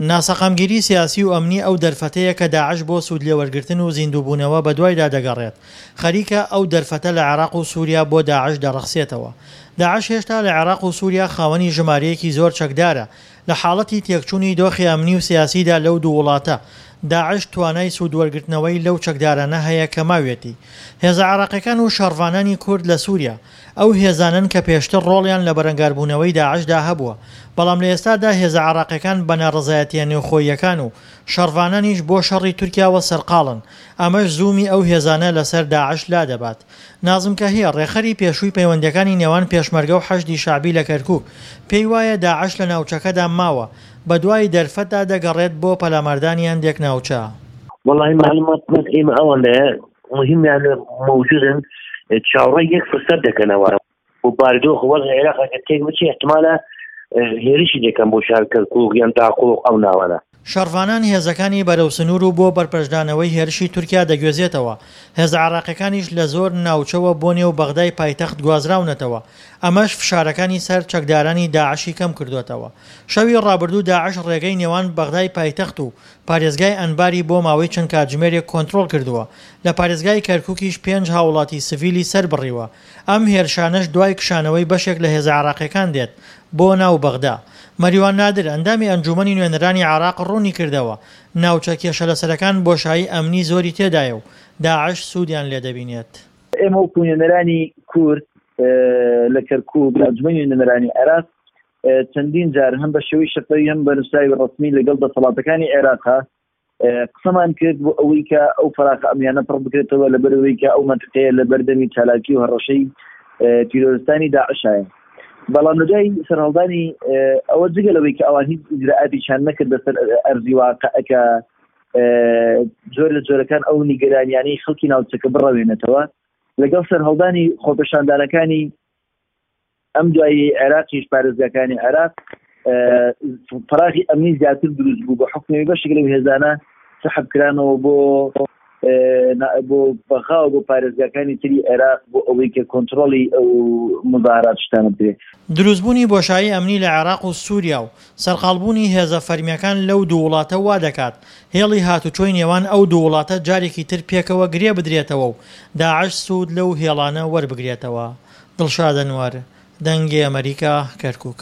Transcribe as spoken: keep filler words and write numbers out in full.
ناسەقامگیری سیاسی و ئەمنی ئەو دەرفەتەیە کە داعش بۆ سوودلێوەرگرتن و زیندووبوونەوە بەدوایدا دەگەڕێت، خەریکە ئەو دەرفەتە لە عێراق و سووریا بۆ داعش دەڕەخسێتەوە. داعش هێشتا لە عێراق و سووریا خاوەنی ژمارەیەکی زۆر چەکدارە، لە حاڵەتی تێکچوونی دۆخی ئەمنی و سیاسیدا لەو دوو وڵاتە، داعش توانای سوودوەرگرتنەوەی لەو چەکدارانە هەیە کە ماویەتی. هێزە عێراقیەکان و شەڕڤانانی کورد لە سووریا، ئەو هێزانەن کە پێشتر ڕۆڵیان لە بەرەنگاربوونەوەی داعشدا هەبووە، بەڵام لە ئێستادا هێزە عێراقیەکان بە ناڕەزایەتییە نێوخۆییەکان و شەڕڤانانیش بۆ شەڕی تورکیاوە سەرقاڵن، ئەمەش زوومی ئەو هێزانە لەسەر داعش لادەبات. نازم کەهیە، ڕێکخەری پێشووی پەیوەندییەکانی نێوان پێشمەرگە و حەشدی شەعبی لە کەرکوک، پێی وایە داعش لە ناوچەکەدا ماوە، بەدوای دەرفەتدا دەگەڕێت بۆ پەلاماردانی هەندێک ناوچە. وەڵاهی مەعلومات بەس ئێمە ئەوەندەیە مهمیان مەوجودن چاوەڕێی یەک فرسەت دەکەنەوە و بارودۆخ وەزع عێراق ئەگەر تێک بچێ احتمالە هێرشی دەکەن بۆ شار کەرکوک یان داقوق ئەو ناوانە. شەڕڤانان هێزەکانی بەرەو سنوور و بۆ بەرپەرچدانەوەی هێرشی تورکیا دەگوێزێتەوە، هێزە عێراقیەکانیش لە زۆر ناوچەوە بۆ نێو بەغدای پایتەخت گوازراونەتەوە، ئەمەش فشارەکانی سەر چەکدارانی داعشی کەمکردۆتەوە. شەوی ڕابردوو داعش ڕێگەی نێوان بەغدای پایتەخت و پارێزگای ئەنباری بۆ ماوەی چەند کاتژمێرێک کۆنترۆڵ کردووە، لە پارێزگای کەرکوکیش پێنج هاوڵاتی سڤیلی سەربڕیوە، ئەم هێرشانەش دوای کشانەوەی بەشێک لە هێزە عێراقیەکان دێت بۆ ناو بەغدا. مەریوان نادر، ئەندامی ئەنجوومەنی نوێنەرانی عێراق ڕوونیکردەوە، ناوچە کێشەلەسەرەکان بۆشایی ئەمنی زۆری تێدایە و داعش سوودیان لێدەبینێت. ئێمە وەکو نوێنەرانی کورد لە کەرکوک لە ئەنجومەنی نوێنەرانی عێراق چەندین جار هەم بە شێوەی شەفەوی هەم بە نووسراوی ڕەسمی لەگەڵ دەسەڵاتەکانی عێراقا قسەمان کرد بۆ ئەوەی کە ئەو فەراخە ئەمنیانە پڕ بکرێتەوە لەبەرئەوەی کە ئەو مەنتقەیە لە بەردەمی چالاکی و هەڕەشەی تیرۆرستانی داعشایە. بەڵام لە دوای سەرهەڵدانی ئەوە جگە لەوەی کە ئەوان هیچ ئیجرائاتێکیان نەکرد لەسەر ئەرزی واقع کە جۆر لە جۆرەکان ئەو نیگەرانیانەی خەڵکی ناوچەکە بڕەوێنێتەوە، لەگەڵ سەرهەڵدانی خۆپێشاندانەکانی ئەم دوایی عێراقیش پارێزگاکانی عێراق فراغی ئەمنی زیاتر دروست بوو بە حکومی بەشێک لەو هێزانە سەحب کرانەوە بۆ بۆ بەغا و بۆ پارێزگاکانی تری عێراق بۆ ئەوەی کە کۆنترۆڵی ئەو مزاهرات شتانە بکرێت. دروستبوونی بۆشایی ئەمنی لە عێراق و سووریا و سەرقاڵبوونی هێزە فەرمییەکان لەو دوو وڵاتە وا دەکات هێڵی هاتوچۆی نێوان ئەو دوو وڵاتە جارێکی تر پێکەوە گرێ بدرێتەوە و داعش سوود لەو هێڵانە وەربگرێتەوە. دڵشاد ئەنوەر، دەنگی ئەمەریکا، کەرکوک.